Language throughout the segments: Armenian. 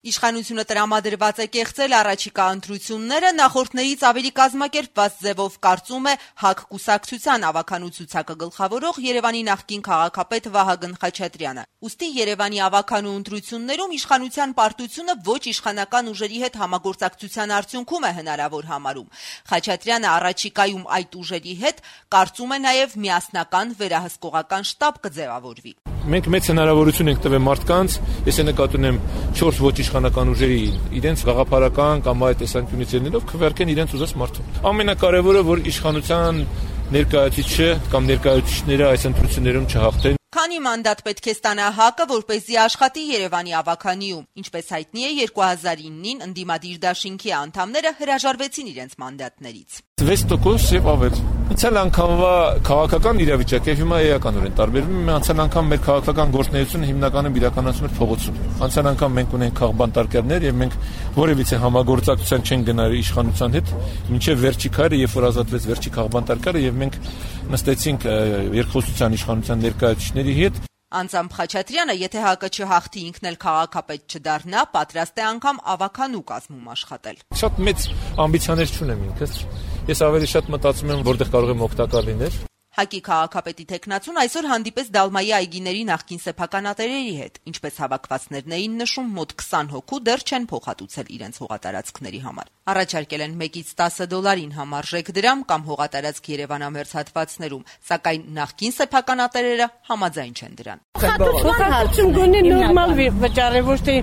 Իշխանությունը տրամադրված է կեղծել առաջիկա ընտրությունները, նախորդներից ավելի կազմակերպված ձևով կարծում է ՀԱԿ կուսակցության ավականու ցուցակը գլխավորող Երևանի նախկին քաղաքապետ Վահագն Խաչատրյանը։ Ուստի Երևանի ավականու ընտրություններում իշխանության պարտությունը ոչ իշխանական ուժերի հետ համագործակցության արդյունքում է հնարավոր համարում։ Խաչատրյանը առաջիկայում այդ ուժերի հետ կարծում է նաև միասնական վերահսկողական շտաբ կձևավորվի։ Մենք մեծ հնարավորություն ենք տվել մարդկանց, ես նկատի ունեմ 4 ոչ իշխանական ուժերի իրենց գաղափարական կամ այլ տեսանկյունից ելնելով քվեարկեն իրենց ուզած մարդուն։ Ամենակարևորը, որ իշխանության ներկայացուցիչը կամ ներկայացուցիչները այս ընտրություններում չհաղթեն։ Քանի մանդատ պետք է ստանա ՀԱԿ-ը, որպեսզի աշխատի Երևանի ավականիում։ Ինչպես հայտնի է, 2009-ին ընդդիմադիր դաշինքի անդամները հրաժարվեցին իրենց մանդատներից։ 6% եւ ավել։ Անցյալ անգամվա քաղաքական իրավիճակը հիմա էականորեն տարբերվում է։ Անցյալ անգամ մեր քաղաքական գործունեությունը հիմնականում իրականացում էր փողոցում։ Անցյալ անգամ մենք ունենք քաղբանտարկերներ եւ մենք որևիցե համագործակցության չեն գնալ իշխանության հետ, մինչեւ վերջի քայլը, երբ որ ազատվեց վերջի քաղբանտարկերը եւ մենք նստեցինք երկխոսության իշխանության ներկայացուցիչների հետ։ Անձամբ Խաչատրյանը, եթե ՀԱԿ-ը չհաղթի, ինքն էլ քաղաքապետ չդառնա, պատրաստ է անգամ ավականու կազմում աշխատել։ Շատ մեծ ամբիցիաներ չունեմ ինքս։ Ես ավելի շատ մտածում եմ, որտեղ կարող եմ օգտակար լինել։ ՀԱԿ-ի քաղաքապետի թեկնածուն այսօր հանդիպես Դալմայի այգիների նախկին սեփականատերերի հետ, ինչպես հավաքվածներն էին նշում, մոտ 20 հոգու դեռ չեն փոխհատուցել իրենց հողատարածքների համար։ Առաջարկել են $1-10 համարժեք դրամ կամ հողատարածք Երևանամերձ հատվածներում, սակայն նախկին սեփականատերերը համաձայն չեն դրան։ Փոխհատուցում գոնե նորմալ վճարը, ոչ թե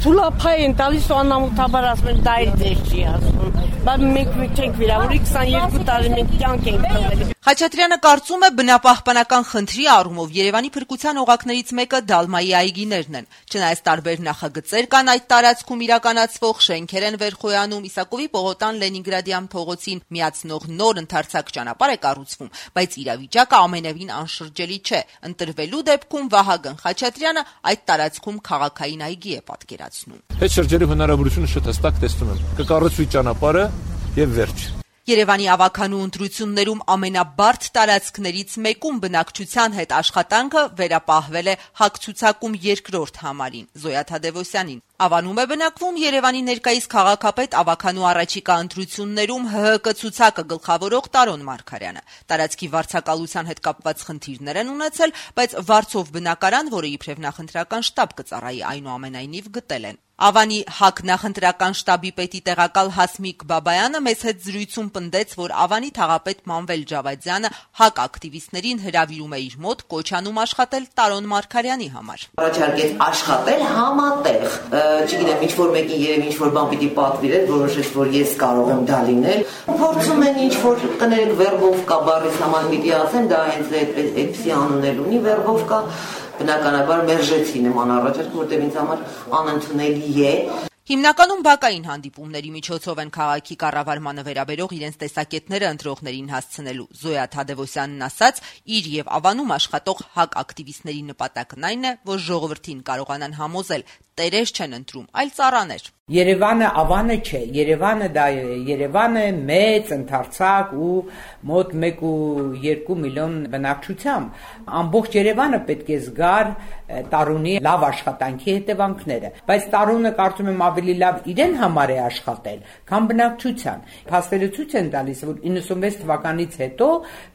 թուլափայ են տալիս ու անամոթաբար ասում են դա էլ դեր չի ասում։ Բայց մենք չենք վիրավորի 22 տարի մենք կյանք ենք տվել։ Խաչատրյանը կարծում է բնապահպանական խնդրի առումով Երևանի փրկության օղակներից մեկը Դալմայի այգիներն են։ Չնայած տարբեր նախագծեր կան այդ տարածքում իրականացվող, շենքեր են վերխոյանում, Իսակովի Պողոտան Լենինգրադյան փողոցին միացնող նոր ընդարձակ ճանապարհ է կառուցվում, բայց իրավիճակը ամենևին անշրջելի չէ։ Ընտրվելու դեպքում Վահագն Խաչատրյանը այդ տարածքում քաղաքային այգի է պատկերացնում։ Հետ շրջելու հնարավորությունը շատ հստակ տեսնում եմ։ Կկառուցվի ճանապարհը եւ վերջ։ Երևանի ավականու ընտրություններում ամենաբարդ տարածքներից մեկում բնակչության հետ աշխատանքը վերապահվել է ՀԱԿ ցուցակում երկրորդ համարին Զոյա Թադևոսյանին։ Ավանում է բնակվում Երևանի ներկայիս քաղաքապետ ավականու առաջիկա ընտրություններում ՀՀԿ ցուցակը գլխավորող Տարոն Մարգարյանը։ Տարածքի վարձակալության հետ կապված խնդիրներ են ունեցել, բայց վարձով բնակարան, որը իբրև նախընտրական շտաբ կծառայի, այնուամենայնիվ գտել են։ Ավանի ՀԱԿ նախընտրական շտաբի պետի տեղակալ Հասմիկ Բաբայանը մեզ հետ զրույցում պնդեց, որ Ավանի թաղապետ Մանվել Ջավադյանը ՀԱԿ ակտիվիստներին հրավիրում է իր մոտ կոչանում աշխատել Տարոն Մարգարյանի համար։ Առաջարկեց աշխատել համատեղ, չգիտեմ, ինչ-որ մեկին երևի ինչ-որ բան պիտի պատվիրել, որոշեց, որ ես կարող եմ դա լինել։ Փորձում են ինչ-որ կներեք վերբովկա բառից համար պիտի ասեմ, դա հենց այդպիսի անուններ ունի, վերբովկա, բնականաբար մերժեցի նման առաջարկ, որտեղ ինձ համար անընդունելի է։ Հիմնականում բակային հանդիպումների միջոցով են քաղաքի կառավարմանը վերաբերող իրենց տեսակետները ընտրողներին հասցնելու։ Զոյա Թադևոսյանն ասաց, իր եւ Ավանում աշխատող ՀԱԿ ակտիվիստների նպատակն այն է, որ ժողովրդին կարողանան համոզել, տերեր չեն ընտրում, այլ ծառաներ։ Երևանը Ավանը չէ, Երևանը դա Երևանը մեծ ընդարձակ ու մոտ 1.2 միլիոն բնակչությամբ։ Ամբողջ Երևանը պետք է զգար Տարոնի լավ աշխատանքի հետևանքները, բայց Տարոնը կարծում եմ ավելի լավ իրեն համար է աշխատել, քան բնակչության։ Փաստերը ցույց են տալիս, որ 96 թվականից հետո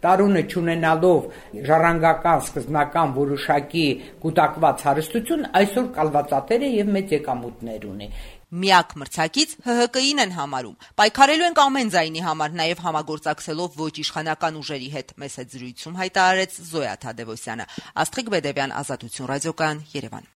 Տարոնը չունենալով ժառանգական սկզբնական որոշակի կուտակված հարստություն, այսօր կալվածատեր է եւ մեծ եկամուտներ ունի։ Միակ մրցակից ՀՀԿ-ին են համարում։ Պայքարելու ենք ամեն ձայնի համար, նաև համագործակցելով ոչ իշխանական ուժերի հետ, մեզ հետ զրույցում հայտարարեց Զոյա Թադևոսյանը։ Աստղիկ Բեդևյան, Ազատություն ռադիոկայան, Երևան։